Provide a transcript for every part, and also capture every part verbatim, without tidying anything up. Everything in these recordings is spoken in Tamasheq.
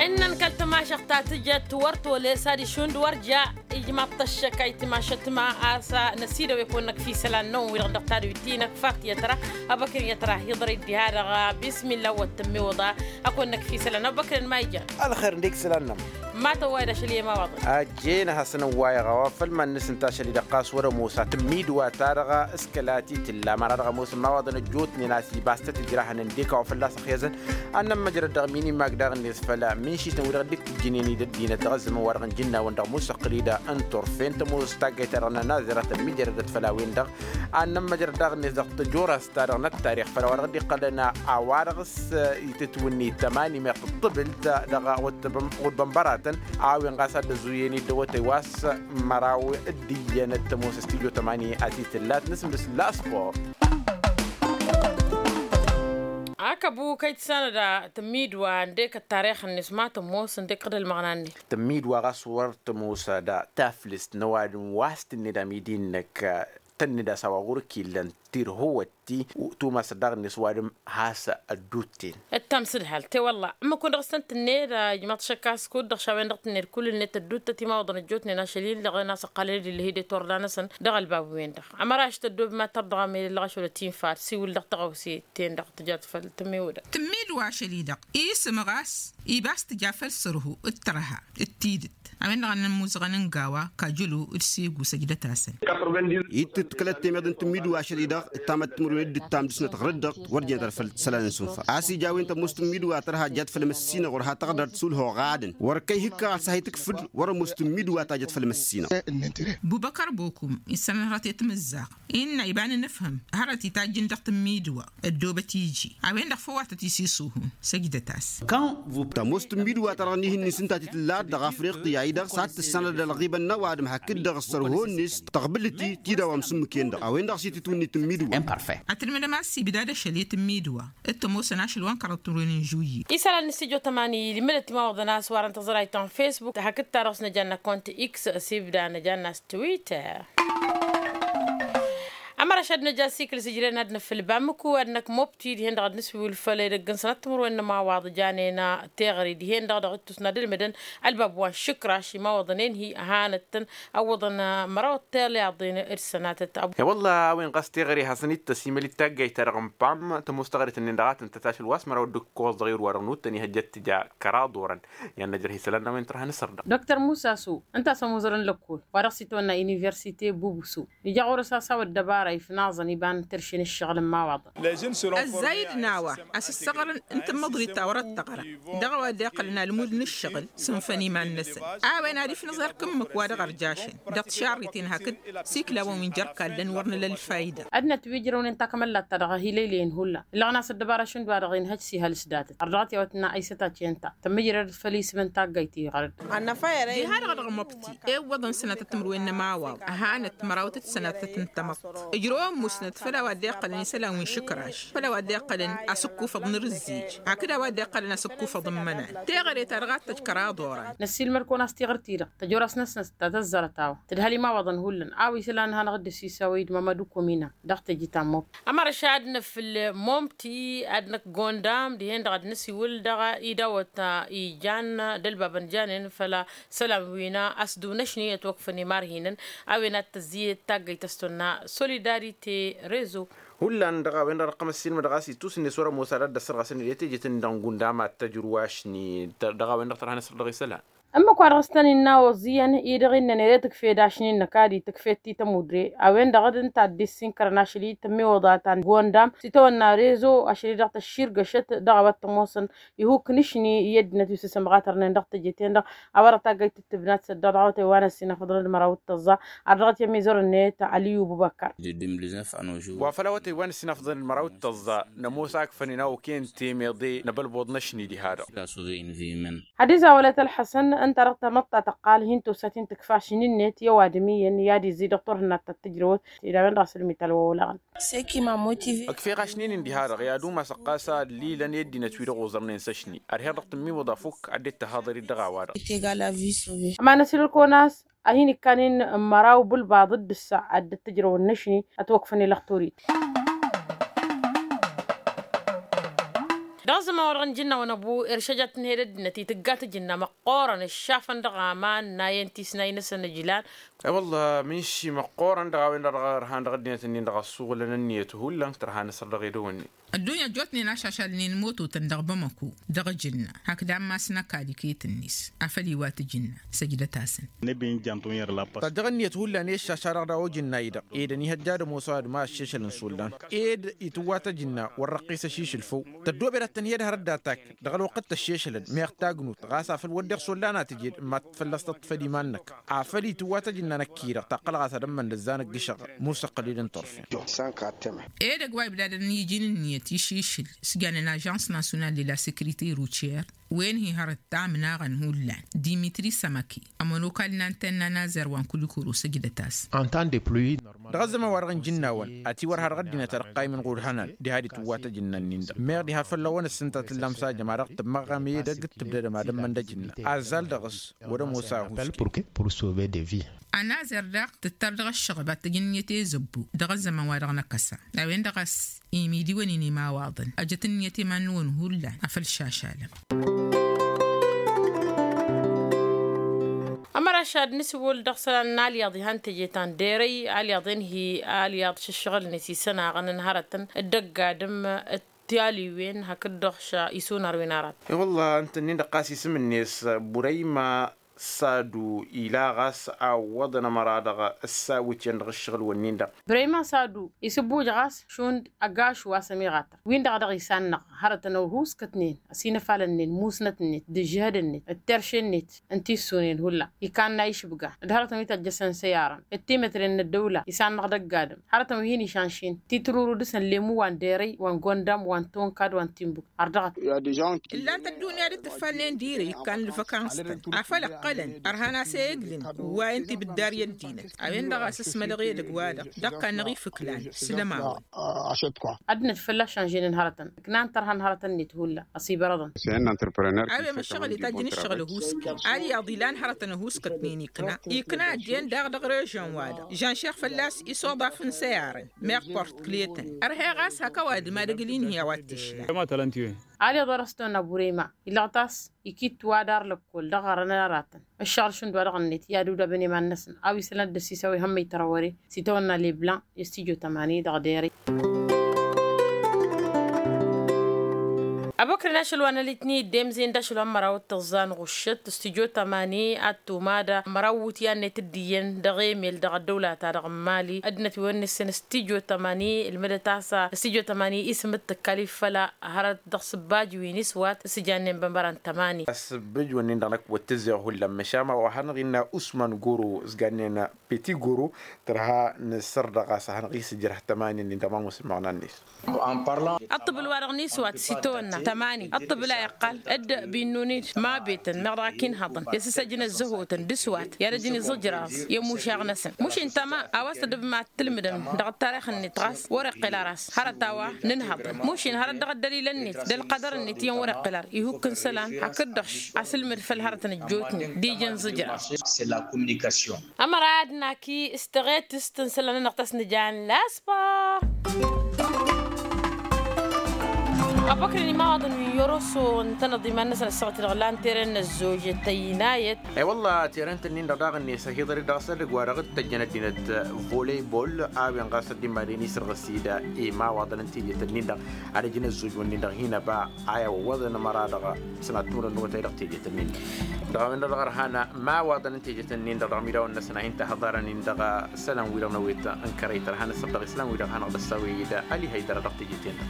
Ǝnnăn kăl-tămašăɣt ta tǝjăt wăr tolăy s-ad-išund wăr ja ijmaḍ-t ăššăk a itimašăt ma a-s năsidăw i-kăwăn-năkf isălan-năwăn wi-dăɣ dăɣ-tadwit-i-năkk fatiya tăra. Ăbăkren i-ad-tăra hiḍăr-dd diha-dăɣ. Bismilla wăr tǝmmiwǝḍa. Ăkăwăn-năkf isălan ăbăkren ma ijan. Ălxer ǝndek isălan-nămăr. Ma tăwway d-ašăl i-emawaḍăn. Ăjjeen ad-hasăn-ăwwayăɣ a-wa făll-iman-năsăn tašăl-i-dăɣ ɣas wăr-ămoos a tǝmmidwa-ta-dăɣ s-kăla ti tǝlla măra dăɣ-ămoosăn imawaḍăn ăjjootnen a-s ibas tăt-ǝjrahăn ǝndek a-wa fălla-s ăxyăzăn. Ad-nămmăjrăd dăɣ-minimag daɣ-net făll-minšităn wi-dăɣ dd-tǝjjǝnen i-dd-ăddinăt dăɣ-ăzzăman-wa-dăɣ n-ijǝnnawăn dăɣ-musăqqǝl-i d-ănturfen tămoos taggayt-ta-dăɣ n-anazăr a tămmijrădăt făll-a-wen-dăɣ. Ad-nămmăjrăd daɣ-net dăɣ-tăt-tarix făll-a-wa-dăɣ dd-iqqălăn a-wa-dăɣ s-itǝtwǝnni tămani meɣ tǝṭṭǝbǝlt dăɣ-wăt-bănbăratăn. A-wen ɣas ad-dd-ăzuyăn-dd awătay wa s-măraw d-iyyăn d-tămoos s-tijo tămani a-s itǝllat nǝsmǝs la sport. Akăbu kăy-tǝssanăd tǝmmidwa ǝndek ăttarix-net ma tămoos ǝndek ɣǝd ălmăɣna-net. Tǝmmidwa ɣas wăr tămoos d-taflǝst n-ăwadǝm wa s-tǝnned amidi-năk tănned a-s a-wa ɣur-ǝkk illăn tirhǝwăt-i tumas daɣ-net ăwadǝm has-ăddutten. Ǝttam s-ǝdhal te wălla ǝmmǝk-wen-dăɣ s-tăn-tǝnned ijmaḍ-t šăkk a-s kud-dăɣ š-a-wen-dăɣ tǝnned kull-net ădduttăt imawaḍăn ăjjootnen ašăl-i-dăɣ n-asăqqalăn-dd ǝllăh-i d-etorda-năsăn dăɣ-ălbab-wen-dăɣ. Ămăraš tăddob ma tărdăɣ amel ǝllăɣ ašăl ătinfa ad-siwǝl dăɣ-tăɣawse-ten-dăɣ tǝjat făll-tǝmmiwǝdăɣ. Tǝmmidwa ašăl-i-dăɣ isǝm ɣas ibas tǝja făll-sărhu d-tărha d-tidǝt. A-wen-dăɣ a n-ămmuzăɣăn n-gawa kajălo d-segu săjdăt-asăn. Ittǝt kăl-ăttemeḍ n-tǝmmidwa ašăl-i-dăɣ ǝttamăt timǝrwen d-ǝttam dăɣ-snăt ɣur-dd-dăɣ wăr jănăt ad-făl sălan n-sunfa a-s ija a-wen tămoos tǝmmidwa tărha jăt făll-măssinăɣ wăr ha tăɣdărt s-ulhoɣ adǝn wăr kăy-hǝkka ɣas a hi-tǝkfǝd wăr-ămoos tǝmmidwa ta jăt făll-măssinăɣ. Bubăkăr bokum isălan hărăt i-timǝzzaɣ innă iba n-inǝfhǝm hărăt itajjǝn dăɣ-tǝmmidwa ăddoobăt iji a-wen-dăɣ făw a tăt-isisuhun săjdăt-as. Tămoos tǝmmidwa-ta-dăɣ n-ihǝnni s-ǝnta ti tǝllat dăɣ-afriqya-i-dăɣ s-ad-tǝssanăd ălɣibăn n-ăwadǝm hakd-dăɣ ăssărhon-net tăɣbǝlǝt-i tidawam s-ǝmmǝk-en-dăɣ a-wen-dăɣ s-itǝtwǝnni tǝmmidwa. Ad-tǝlmǝdăm a-s ibdad ašăl i-tǝmmidwa d-tămoosăn ašăl wa n-kăraḍ timǝrwen n-žuyyi. Isălan n-stujo tămani ilmǝdăt imawaḍăn a-s warăn tăẓrayt ta n-facebook hakd-ta-dăɣ s-năjanna kont x s-ibda năjanna s-twitter. Ămăraš ad-năj asikǝl s-ǝjrăyăn ad-năfǝlba mǝku ad-năkmobti dihen-dăɣ ad-nǝswǝwǝl făll-edăgg n-sănat timǝrwen n-ămawaḍ janen teɣăre dihen-dăɣ dăɣ-ittus n-ad-ǝlmǝdăn ălbab wa n-išǝkraš imawaḍăn enhi ăhanăt-tăn ăwwăḍăn măraw ăṭṭelyaḍen d-sănatăt. E-wălla a-wen ɣas teɣăre hasăn-dd-tăsimăl-dd taggayt-ta-dăɣ n-pam tămoos teɣăre-tăn-en-dăɣ a tăn-tăt ašăl wa s-măraw d-ǝkkoẓ dăɣ-irwa-dăɣ n-uttăn ihăjjăt tǝja kăraḍ orăn. I-ad-năjrăh isălan n-a-wen tărha n-asărdăɣ. Dr musa s-u ǝnta a-s ămuzărăn lăkkol wa dăɣ-s-itwănna universite bubusu ija ɣur-s a-s a-wa ăddăbara ifnaẓăn iba n-tărše n-ǝššăɣǝl n-imawaḍăn. Ăzzayǝd n-a-wa a-s ǝssăɣrăn n-tǝmmăḍrit ta wăr-ăttăɣra dăɣ-a-wa dd-iqqălăn almud n-ǝššăɣǝl s-ǝnfăn iman-năsăn. A-wen ad-ifnǝẓ erk ǝmmǝk wa dăɣ-ărjašăn dăɣ-tišarriten hakd s-iklawăn wi n-jer-kallăn wăr nǝla ălfayda. Ad-nătwǝjrăwnen takămăllat-ta-dăɣ ăhilăylăyăn hullan ǝllăɣăn a-s ăddăbara šund wa-dăɣ inhăj s-ihăl s-datăt ărdăɣăt i-a-wa tǝnna aysăt a ciyăn ta tămmǝjrăd făll-isǝm n-taggayt iɣărăd. Diha-dăɣ dăɣ-măbti ewwăḍăn sănatăt timǝrwen n-ămawaḍ ăhanăt mărawtăt sănatăt n-tamăḍt. Ǝjrăwăn musnăt făll-a-wa dd-iqqălăn isălan wi n-išǝkraš făll-a-wa dd-iqqălăn asǝkkufăḍ n-arǝzzij hakd a-wa dd-iqqălăn asǝkkufăḍ n-imănan. Teɣăre-ta-dăɣ ad-tăj kăraḍ oran. Năssiilmăd-kăwăn a-s tiɣǝrt-i-dăɣ tăjor-as năsnăs ta tăzzărăt a-wa tǝdhăl imawaḍăn hullan a-wa isălan ad-hanăɣ-dd-ăsisawăy d-mămăd ukomina. Dăɣ-teje ta n-mobti. Ămărăš ad-năfǝl momti ad-năkk gondam dihen-dăɣ ad-năsiwǝl dăɣ-idawăt ijan d-ălbabăn janen făll-isălan wi n-asdǝw n-ašni ătwăkfăn imarhinăn. A-wen ad-tăzziyăt taggăyt a-s tonna solidarite rezo. Hullan dăɣ-a-wen-dăɣ năqqăm ăssiilmăd ɣas ittus-net wăr-ămoos ad-dd-ăssărɣăsăn ed i-tejet-in-dăɣ n-gundam ad-tăjrǝw ašni dăɣ-a-wen-dăɣ tărha n-asăr dăɣ-isălan. Ǝmmǝk wa dăɣ-s tăn-innă a oẓẓiyăn-i-dăɣ innănen i-tǝkfed ašni-năk ad-itǝkfed ti tămudre. A-wen-dăɣ d-ǝnta a dd-issinkărăn ašăl-i tămmiwăḍa ta n-gondam s-itawănna rezo ašăl-i-dăɣ tăšširgăšăt dăɣ-a-wa t-ămoosăn ihuk n-ašni i-ăddinăt wi s-isǝmɣatărnen dăɣ-tejet-en-dăɣ. A wărăt taggăyt tǝttǝbnat s-ăddoɣ dăɣ-awătay wa n-ăssinafăḍăn d-măraw d-tăẓẓa ardăɣăt i-ămizăr-net aliyu bubăkăr. Wa făl awătay wa n-ăssinafăḍăn d-măraw d-tăẓẓa nămoos a ǝkfănen a okăyăn temeḍe n-abălbuḍ n-ašni diha-dăɣ. Ad-izawălăt ălḥăsăn ǝnta-dăɣ tamăḍt ta tăqqal hin-tosa ti n-tǝkfa ašni-net i-ăwadǝm iyyăn i-ad-izzi dăɣ-turhǝnna ta t-tǝjrăwăt. Ila a-wen-dăɣ a-s ǝlmǝy talwăwălăɣăn. Ăkfeɣ ašni-nin diha-dăɣ i-ad-umasăɣ ɣas a ăllilăn i-ăddinăt wi-dăɣ oẓărnen s-ašni ărheɣ dăɣ-tǝmmiwǝḍ afuk ad-dd-tăhaḍăr-dd dăɣ-a-wa-dăɣ. Ămanăs ǝlkăwăn a-s ad-hin-ikkan-in n-măraw bǝlbaḍ d-ǝssa ad-dd-tǝjrăwăn n-ašni ătwăkfăn ilăɣ torit. Dăɣ-a Ăzzăman-wa-dăɣ n-ijǝnnawăn ăbu eršăjat n-hed ăddinăt itǝgga tajǝnna măqqoorăn ǝššafăn dăɣ-aman n-ayăn tisnay-năsăn ǝjlan. I-wălla mǝnši măqqoorăn dăɣ-a-wen-dăɣ ărhan dăɣ-ăddinăt-ǝnnin-dăɣ ăssuɣǝlăn ǝnniyăt hullan tărha n-asăr dăɣ-edăwănni. Ăddunya ăjjootnen ašašalnen imototăn dăɣ-bamăko dăɣ-ajǝnna hakd ammas n-ăkall iket-net afăl iwat ajǝnna. Săjdăt-asăn. Tăjjăɣ ǝnniyăt hullan i-ăššaša-dăɣ daw-ajǝnna-i-dăɣ ed ănihăjja ad-ămoos a-wa d-ma ăššešăl n-isullan ed itǝwwa tajǝnna wăr-răqqis aššešǝl făw. Tăddoobed ad-tăn-hi-ădhăr dd-atak dăɣ-ălwăqq d-tăššešălăn meɣ tagnut ɣas afăl wădden isullan a tǝjed mad-fălla-s tăṭṭǝfăd iman-năk. Afăl itǝwwa tajǝnna năkk-i-dăɣ taqqăl ɣas ad-ămmăn d-ăzzanăgg ǝššăɣ musăqqăled n-turfen. Edăgg wa ibdadăn iji n-ǝnniyăt išišǝl s-jannen ažans nasyonal de la sekrite ruciyăr wen-hi hărăt tamnaɣăn hullan dimitri sămăke ămănokal n-antenna n-azăr wa n-kulikoro săjdăt-as. Dăɣ-ăzzăman-wa-dăɣ n-ijǝnnawăn ătiwărha dăɣ-ăddinăt ad-ăqqaymăn ɣur-ihănan diha d-itǝwwa tajǝnna-nin-dăɣ meɣ diha făll-awăn ǝssǝnta tǝllam s-ajăm a dăɣ-tǝmmăɣɣam edăgg d-tǝbdădăm ad-ămmăn d-ajǝnna azzal dăɣ-s. Wăr-ămoos ahus. Ănazăr daɣ tǝttar dăɣ-ăššăɣăb ad-t-ăj ǝnniyăt i-zăbbu dăɣ-ăzzăman-wa-dăɣ n-akăsa. A-wen-dăɣ a-s imidiwăn-in imawaḍăn ăjăt ǝnniyăt iman-năwăn hullan afăl šašalăm. Ămăraš ad-nǝsǝwwǝl dăɣ-isălan n-alyaḍ ihan teje ta n-derăy alyaḍ-en hi-alyaḍ šǝššăɣǝl-net isănaɣăn n-hărătăn d-ăgg-adǝm d-taliwen hakd-dăɣ š-isunar wi n-arat. I-wălla ǝnta-nin-dăɣ ɣas isǝm-net burăyma sadu ila ɣas a ǝwwăḍăn ămăra-dăɣ ăssawǝtăn dăɣ-ǝššăɣǝl-wǝnnin-dăɣ. Brăyma sadu isǝbbuj ɣas šund ăgašu a-s ămiɣatăr win-dăɣ a dăɣ-isannăɣ hărătăn ăwhuskătnen ăsinăfalănnen musnăt-net d-ǝžžǝhăd-net d-terše-net. Ǝnta issunen hullan ikanna išbǝga d-hărătăn wi tăjjăsăn săyarăn d-timǝtren n-ăddăwla isannăɣ d-ăgg-adǝm hărătăn wi hin-išanšin titruru dăɣ-săn lemu wa n-derăy wa n-gondam wa n-tonka d-wa n-timbuk. Ărdăɣăt. Ǝllan-t ăddunya d-tǝffalnen dirăy ikkan d-văkans-tăn afăl ǝqqălăn ărhan a-s eglǝn wa n-tibǝddar i-ăddinăt. A-wen-dăɣ a-s ǝsmălăɣ edăgg-wa-dăɣ dăɣ-kannăɣ ifǝklan. S-lămawăn. Ăddinăt fălla-s šanženen hărătăn ǝknan tărha n-hărătăn-net hullan ăsibărăḍăn. A-wen măššăɣǝl itajjăn ǝššăɣǝl ăhuusken alyaḍ ilan hărătăn ăhuuskătnen ikna ikna ăddin daɣ dăɣ-režăn-wa-dăɣ žănšeɣ fălla-s isoḍaf n-săyarăn. Meɣ port kletăn ărheɣ a-s hak ăwadǝm ad-ǝgǝl-in hi-a-wa t-išla. Alyaḍ wa dăɣ-s tăwănna burema ilăɣăt a-s ikit wa d-ar lăkkol dăɣ-ɣărăn aratăn ǝššăɣǝl šund wa dăɣ-net i-ad-udabăn i-iman-năsăn a-wa isălan d-ăssiis a-wa ihămmăy tărawăre s-itawănna leblan. I-stujo tămani dăɣ-dere. Abokren ašăl wa n-alitni d-emzen d-ašăl wa n-măraw d-tăẓẓa n-ɣuššăt stujo tămani ad-tumada măraw wutyan-net d-iyyăn dăɣ-emel dăɣ-ăddăwla-ta-dăɣ n-mali ăddinăt wi wăr nǝssen stujo tămani ǝlmǝdăt a-s stujo tămani isǝm d-tǝkkalif făll-a hărăt dăɣ-sǝbbaj wi n-iswat s-ijannen bănbăra n-tămani. Asǝbbǝj-wǝnnin-dăɣ năkk wăr tǝzzeɣ hullan măšan ma wa hanăɣ-innă usman goro s-gannen peti goro tărha n-săr dăɣ-a-s a hanăɣ-isǝjrăh tămani-nin dăɣ-ma musǝlmăɣna-net. Ăṭṭăbǝl wa-dăɣ n-iswat s-itawănna tămani ăṭṭăbǝl a iqqal d-binnun-dd ma betăn meɣ dăɣ-ak inhăḍăn i-asǝsăjnăt zăhotăn d-iswat i-ad-ăjǝn iẓǝjraẓ i-imušaɣ-năsăn mušin tăma a-wa s-tădǝbmat tǝlmǝdăm dăɣ-ăttarix-net ɣas wăr-iqqǝl ara a-s hărăt a-wa nǝnhăḍăn mušin hărăt dăɣ-ăddălilăn-net d-ălqădăr-net iyyăn wăr-iqqǝl ara ihukk n-isălan hakd-dăɣ š-asǝlmǝd făll-hărătăn ăjjootnen d-ija n-iẓǝjraẓ. Ămăra ad-naki s-teɣetǝst n-isălan-nănăɣ ta s-nǝjan la sport. Abăkren imawaḍăn wi n-yoroso ǝntănăḍ iman-năsăn ăssaɣăt-i-dăɣ lan tere n-ăzzoj tăynayăt. I-wălla tere n-tăn-in-dăɣ daɣ-net ăhiḍăr-dd dăɣ-s edăgg-wa-dăɣ d-tăjjăn ăddinăt volebol a-wen ɣas ăddimadăn isrăɣǝs-dd imawaḍăn n-teje-tăn-in-dăɣ ad-ăj n-ăzzoj-wǝnnin-dăɣ hin-ăba a i-ăwwăḍăn ămăra-dăɣ sănat timǝrwen n-otay dăɣ-teje-tăn-in-dăɣ. Dăɣ-a-wen-dăɣ dăɣ-ărhan imawaḍăn n-teje-tăn-in-dăɣ dăɣ-imidawăn-năsăn a hin-tahăḍarăn-in dăɣ-isălan-wi-dăɣ n-ewet n-kărăy tărha n-asăr dăɣ-isălan-wi-dăɣ hanăɣ-dd-ăssawăy-dd ălihăy dăr-dăɣ teje-ten-dăɣ.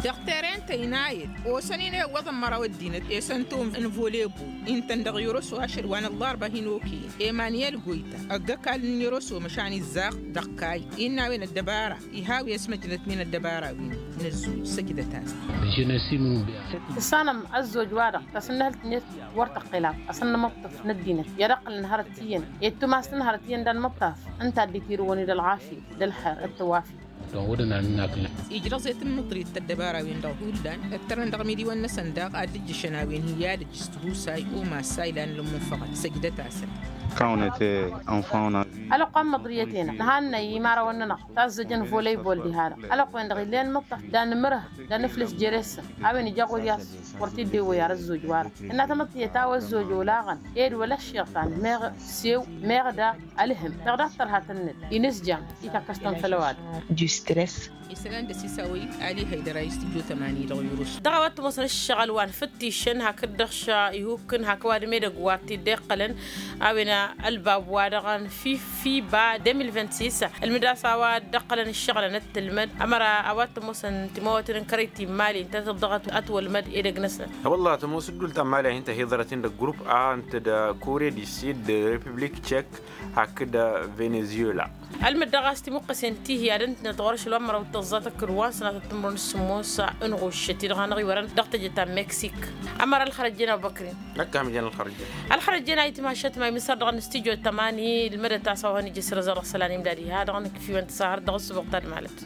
Dăɣ-teren tăynayăt osăn-in i-iwwăḍăn măraw ăddinăt esăn tum n-volebol intăn dăɣ-yoroso ašăl wa n-ăllarba hin-okăyăn emaniyel goyta ăgg-ăkall n-yoroso măšan izzaɣ dăɣ-kayy innă a-wen ăddăbara iha wi ăsmăjnăt min ăddăbara-win. Nǝzzul săjdăt-as. Tǝssanăm ăzzoj-wa-dăɣ tasǝnnăhǝlt-net wăr tăqqel-aḍ asăn nǝmǝṭṭăf n-ăddinăt i-ad-ăqqǝlăn hărăt iyyăn i-dd-tumas n-hărăt iyyăn d-anmǝṭṭaf ǝnta a dd-itirǝwăn-dd ălɣafyăt d-ălxer d-tăwafyăt. Ijrăẓ i-tǝmmǝḍrit tăddăbara-win-dăɣ hullan ǝttărăn dăɣ-imidiwăn-năsăn daɣ ad-dd-ǝjjǝšăn a-wen hi-ad-ǝjj s-tihusay umassa ilan l-ămmunfăɣăt săjdăt-asăn. Ălwăqq wa n-măḍriyăt-en nǝhannăy imărawăn-nănăɣ tazzăjăn volăybol diha-dăɣ. Ălwăqq-wen-dăɣ ill'-en mǝṭṭăf d-anǝmǝrǝh d-anǝflǝs jere-săn. A-wen ija ɣur-i a-s wăr t-dd-ewwăy ar ăzzoj-wa-dăɣ. Tǝnna tamăḍt tiyyăt a-wa ăzzoj olaɣăn ed wăla ăššiɣtan meɣ sew meɣ da ălhǝm meɣ da ăṭṭărhatăn-net inǝzjam. Itakkăs-tăn făll-ăwadǝm. Isălan d-asǝsawăy ali haydăr a istǝjjo tămani dăɣ-yurǝs. Dăɣ-a-wa t-ămoosăn ǝššăɣǝl wa n-fǝttǝšăn hakd-dăɣ š-ihukkǝn hak ăwadǝm edăgg wa t-dd-iqqălăn. A-wen ălbab wa dăɣ-n fiba de mil vint-sis ǝlmǝd a-s a-wa dd-ăqqălăn ǝššăɣǝlăn d-tǝlmăd ămăra a-wa t-ămoosăn timawăten n-kărăy timali ǝntăneḍ-dăɣ ătwălmăd edăgg-năsnăt. Wălla tămoos ǝddul ta n-imali a hin-tăhiḍărăt-in dăgg-grupp a ǝnta d-kore di sid d-repiblik tšek hakd venezuela. Ălmǝd dăɣ-a-s timuqqăsen tihi ad-ǝntǝnăt ɣur-ašăl wa n-măraw d-tăẓẓa tăkkăd wa n-sănatăt timǝrwen s-sǝmmos n-ɣuššăt-i-dăɣ a năɣ-iwărăn dăɣ-teje ta n-meksik. Ămăra ălxărăjjăn abubăkrin. Ălxărăjjăn a itmašăt ma imǝsăr dăɣ-nǝstijjo tămani ǝlmădăt a-s a-wa hăn-ija s-răzăr dăɣ-isălan imdad iha dăɣ-nǝkǝf-iwăn tǝsahăr dăɣ-ǝssǝboɣ ta d-malăt.